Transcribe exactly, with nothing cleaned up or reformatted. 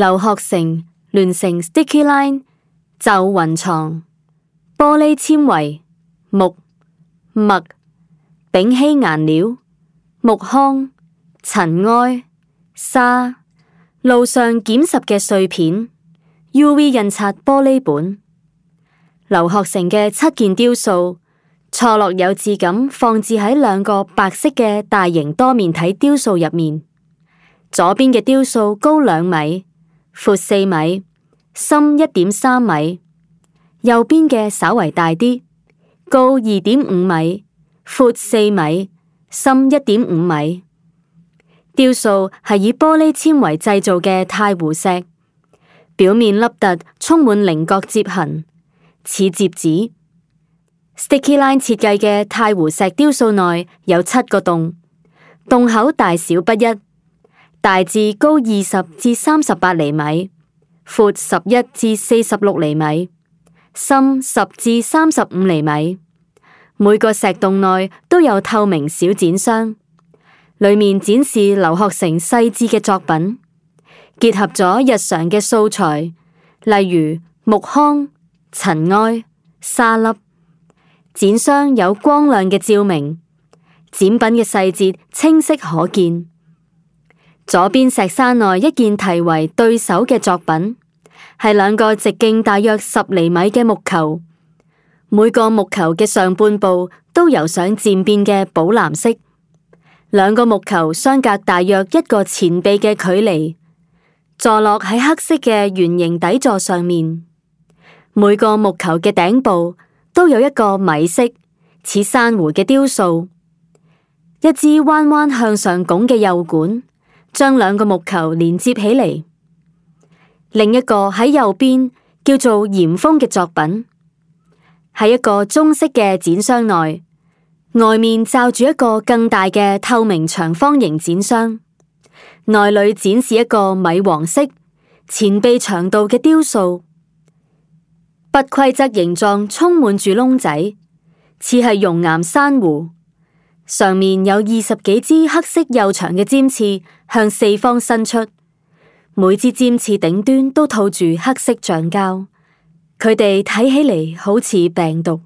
劉學成聯成 Sticky Line 就雲床，玻璃纖維木墨丙烯顏料木糠塵埃沙路上撿拾嘅碎片 U V 印刷玻璃本。劉學成嘅七件雕塑錯落有致咁放置喺兩個白色嘅大型多面體雕塑入面。左邊嘅雕塑高兩米，闊四米，深一點三米；右邊嘅稍為大啲，高二點五米，闊四米，深一點五米。雕塑係以玻璃纖維製造嘅太湖石，表面凹凸，充滿稜角折痕，似摺紙。Sticky Line 設計嘅太湖石雕塑內有七個洞，洞口大小不一，大致高二十至三十八厘米，闊十一至四十六厘米，深十至三十五厘米。每個石洞內都有透明小展箱，裏面展示劉學成細緻嘅作品，結合咗日常嘅素材，例如木糠、塵埃、沙粒。展箱有光亮嘅照明，展品嘅細節清晰可見。左邊石山內一件題為對手嘅作品，係兩個直徑大約十厘米嘅木球，每個木球嘅上半部都油上漸變嘅寶藍色，兩個木球相隔大約一個前臂嘅距離，坐落喺黑色嘅圓形底座上面。每個木球嘅頂部都有一個米色似珊瑚嘅雕塑，一支彎彎向上拱嘅幼管將兩個木球連接起嚟。另一個喺右邊叫做嚴峰嘅作品，喺一個中式嘅展箱內，外面罩住一個更大嘅透明長方形展箱，內裏展示一個米黃色前臂長度嘅雕塑。不規則形狀充滿住窿仔，似係熔岩珊瑚。上面有二十幾支黑色幼長嘅尖刺向四方伸出，每支尖刺頂端都套住黑色橡膠，佢哋睇起嚟好似病毒。